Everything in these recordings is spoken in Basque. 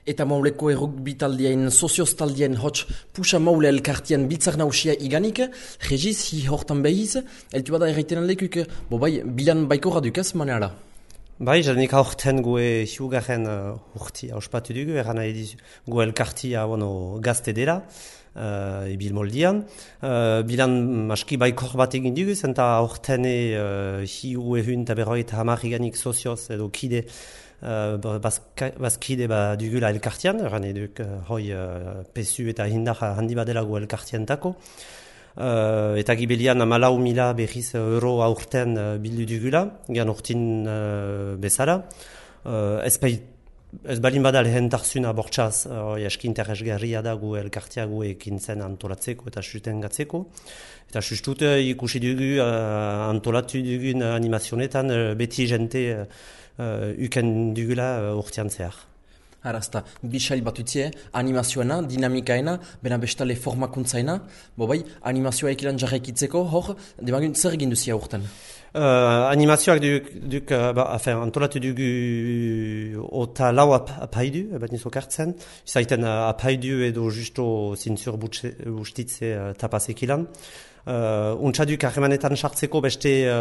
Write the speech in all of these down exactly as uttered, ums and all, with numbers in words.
Eta mauleko errugbi taldien, sozioz taldien hots pusa maule elkartien bitzar nausia iganik, regiz hi hortan behiz, eltu bada erraiten lekuk, bo bai, bilan baiko radukaz maneala. Bai, janik aurten gue hiugaren uh, urti auspatu dugu, eran nahi dizu gue elkartia bueno, gazte dela, uh, ibil moldian. Uh, bilan maski baikor bat egin dugu, zenta aurten uh, hiu ehun eta berroita hamar iganik sozioz edo kide, Uh, bazkide ba dugula elkartian, eran eduk uh, hoi uh, pesu eta hindar handi badela gu elkartientako. Uh, eta gibelian amalau mila berriz euro aurten uh, bildu dugula, gian urtin uh, bezala. Uh, ez, bai, ez balin bada lehen tarzuna bortxaz, uh, jaski interesgarria da gu elkartia gu ekintzen antolatzeko eta susten gatzeko. Eta sustut uh, ikusi dugu uh, antolatu dugun animazionetan uh, beti jente uh, Uh, uken dugula uh, urtean zehar. Arazta, bisail bat utzie, animazioena, dinamikaena, bena bestale formakuntzaena, bo bai, animazioa ekilan jarraikitzeko, hor, demagun zer egin duzia urten? Uh, animazioak duk, duk uh, ba, afen, antolatu dugu ota lau ap apaidu, bat nizo kartzen, izaiten uh, apaidu edo justo zintzur bustitze uh, tapaz ekilan. Uh, Untxaduk harremanetan sartzeko beste uh,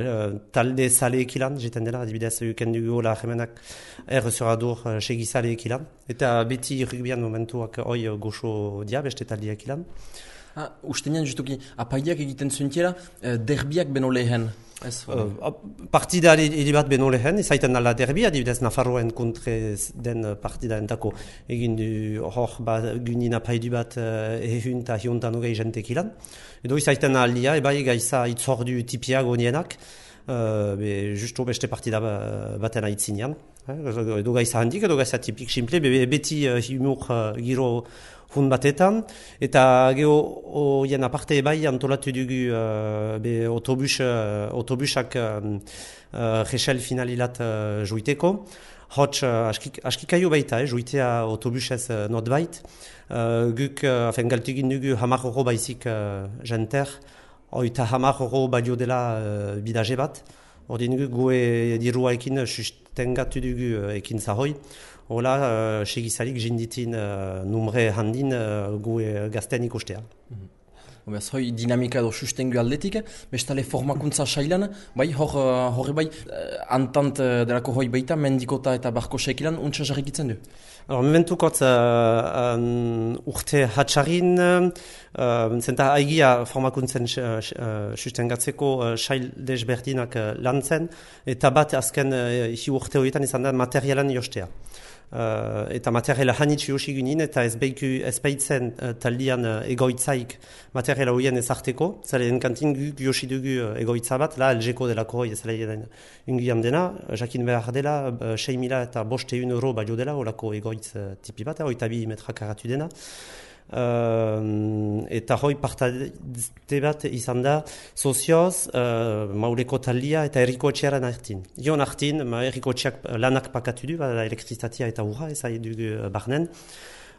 uh, talde sale ekilan, jeten dela, adibidez uken dugu la harremanak errezuradur uh, segi sale ekilan. Eta beti rugbian momentuak hoi uh, goxo dia beste talde ekilan. Ah, ustenean justuki, apaideak egiten zuentiela, uh, derbiak beno lehen. Uh, partida hili bat beno lehen, izaiten ala derbi, adibidez Nafarroen kontre den partida entako egin du hor ba, gynin apaidu bat uh, ehun eta hiontan hogei jentek ilan. Edo izaiten alia, ebai gaiza itzordu tipiak onienak, uh, be, justo beste partida baten aitzinean. Eh? Edo gaiza handik, edo gaiza tipik simple, be, beti uh, humor uh, giro hun batetan, eta geho oien aparte bai antolatu dugu uh, be autobus, uh, autobusak um, uh, resel finalilat uh, joiteko. Hots uh, askikaio baita, eh, joitea autobusez uh, not bait. Uh, guk, uh, afen galtugin dugu hamar euro baizik uh, jenter, oita hamar euro balio dela uh, bidaje bat. Ordin guk goe dirua ekin sustengatu dugu uh, ekin zahoi. Hola, uh, segizalik jinditin uh, numre handin uh, gue gazten ikustea. Mm-hmm. Obez, hoi dinamika edo sustengu aldetik, bestale formakuntza sailan, bai, hor, hor bai, antant delako hoi baita, mendikota eta barko sekilan, untsa jarrikitzen du? Alors, mementukot uh, um, urte hatxarin, uh, zenta haigia formakuntzen uh, sustengatzeko uh, sail desberdinak uh, lantzen, eta bat azken uh, hi urte horietan izan da materialan jostea. Uh, eta materiala hanitz josi ginen, eta ez beiku ez baitzen uh, taldian uh, egoitzaik materiala horien ezarteko. Zale enkantin guk josi dugu uh, egoitza bat, la elgeko delako hoi ezala ungian dena, jakin behar dela, uh, sei mila eta boste un euro balio dela, olako egoitz uh, tipi bat, oita bi metrak aratu dena. Uh, eta hoi partate bat izan da sozioz, uh, mauleko taldia eta erriko etxearen artin. Ion artin, ma erriko etxeak lanak pakatu du, bada elektrizitatea eta urra, ez ari dugu barnen.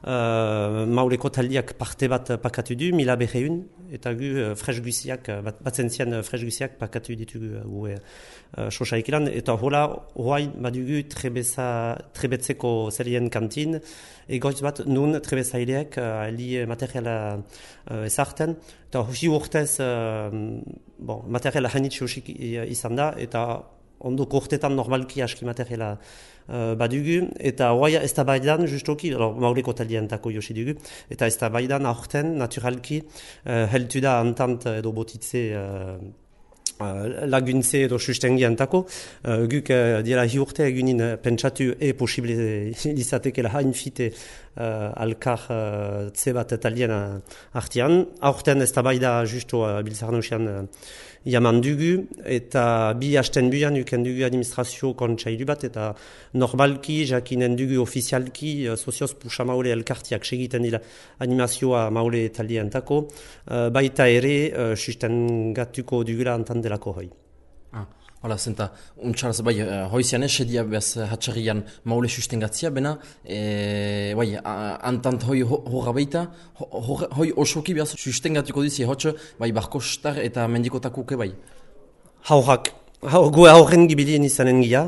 Uh, mauleko taldiak parte bat pakatu du, mila berreun, eta gu uh, fresguziak, bat, batzen zian uh, fresguziak pakatu ditugu uh, gu uh, sosa ekilan, eta hola, hoain badugu trebeza, trebetzeko zelien kantin, egoitz bat nun trebezaileak uh, ali materiala uh, ezarten, eta hosi urtez uh, bon, materiala hanitz hosik izan da, eta ondoko urtetan normalki aski materiala uh, badugu, eta hoaia ez da baidan justoki, mauleko taldientako josi dugu, eta ez da baidan aurten naturalki uh, heltu da antant edo botitze uh, Uh, laguntze edo sustengiantako, uh, guk uh, dira hi urte egunin uh, pentsatu e posible izatekela hain fite uh, alkar uh, tze bat talien uh, artian. Aurten ez da baida justo uh, biltzarnausian uh, jaman dugu, eta bi hasten buian uken dugu administrazio kontsailu bat, eta normalki jakinen dugu ofizialki uh, sozioz puxa maule elkartiak segiten dira animazioa maule talientako, uh, baita ere uh, sustengatuko dugula antan delako hoi. Ah, hola, zenta, untxaraz, bai, uh, hoizian esedia bez hatxarrian maule sustengatzia, bena, e, bai, antant hoi horra baita, hoi, hoi osoki behaz sustengatuko dizi, hotx, bai, barkostar eta mendikotakuke, bai. Haurak, hau, gue hauren gibilien izanen gira,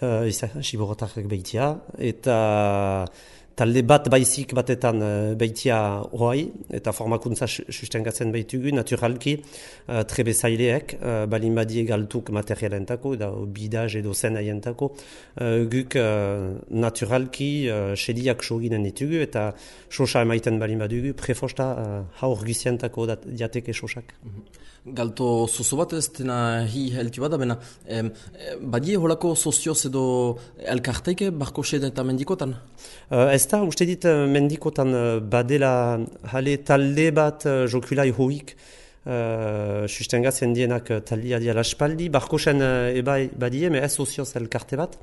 uh, izan, Siborotarrak behitia, eta talde bat baizik batetan uh, behitia hoai, eta formakuntza sustengatzen behitugu, naturalki, uh, trebezaileek, uh, balin badie galtuk materialentako, da bidaz edo zen aientako, uh, guk uh, naturalki uh, sediak soginen ditugu, eta sosa emaiten balin badugu, prefosta uh, haur gizientako diateke sosak. Mm-hmm. Galto zozo bat ez dena hi heltu bada, bena em, badie holako sozioz edo elkarteike barko sede eta mendikotan? Uh, ez da, uste dit mendikotan uh, badela hale talde bat uh, jokulai hoik uh, sustengatzen dienak uh, talia diala espaldi, barko sen uh, ebai badie, me ez sozioz elkarte bat.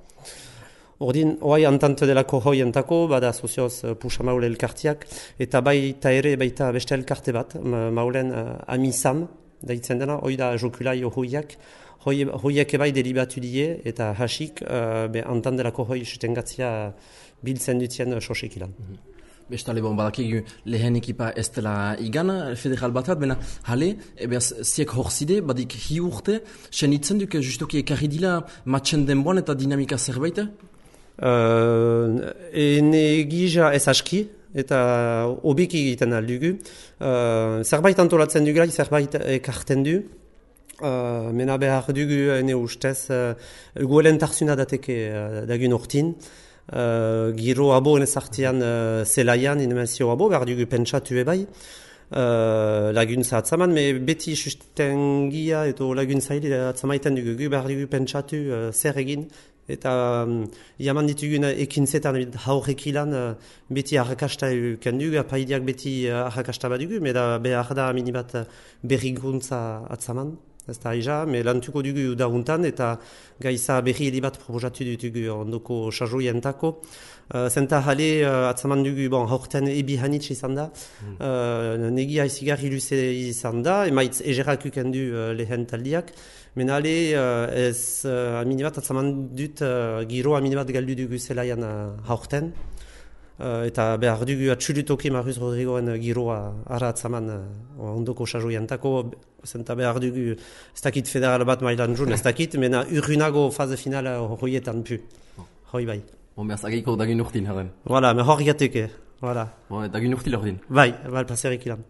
Ordin, oai antante delako hoi entako, bada sozioz uh, pusa maule elkartiak, eta baita ere baita beste elkarte bat, maulen uh, amisam, daitzen dena, hoi da jokulai hoiak, hoiak ebai delibatu die, eta hasik, uh, be antandelako hoi sustengatzia biltzen dutien sosekilan. Mm-hmm. Bestale bon, badakik lehen ekipa ez dela igan, federal bat bat, bena hale, ebeaz ziek horzide, badik hi urte, sen itzen duk justoki ekarri dila matchen denboan eta dinamika zerbait? Uh, ene gija ez aski, eta obiki egiten aldugu. Uh, zerbait antolatzen dugula, zerbait ekarten du. Uh, mena behar dugu ene ustez, uh, goelen tarzuna dateke uh, dagun ortin. Uh, giro abo enezartian uh, zelaian, inemenzio abo, behar dugu pentsatu ebai. Uh, laguntza atzaman, me beti sustengia eto laguntza hili atzamaiten dugu, behar dugu pentsatu uh, zer egin. Eta um, jaman ditugun ekintzetan haurrekilan uh, beti arrakasta euken dugu, apaidiak beti uh, arrakasta badugu, meda behar da minibat berrikuntza atzaman, ez da aija, me lantuko dugu dauntan, eta gaiza berri helibat proposatu dutugu ondoko sajoientako. Uh, zenta jale uh, atzaman dugu, bon, haurten ebi hanitz izan da, mm. uh, negia izigarri luze izan da, emaitz egerak uken du uh, lehen taldiak, menale uh, ez uh, aminibat atzaman dut uh, giro aminibat galdu dugu zelaian uh, haurten. Uh, eta behar dugu atxulutoki Maruz Rodrigoen giroa ara atzaman uh, ondoko sajoientako, zenta behar dugu ez dakit federal bat mailan jun, ez dakit, mena urrunago faze finala horietan pu. Hoi bai. Bon, behaz ageiko dagun urtin, herren. Voilà, me hor gateke. Voilà. Bon, dagun urtil ordin. Bai, bai, paserik ilan.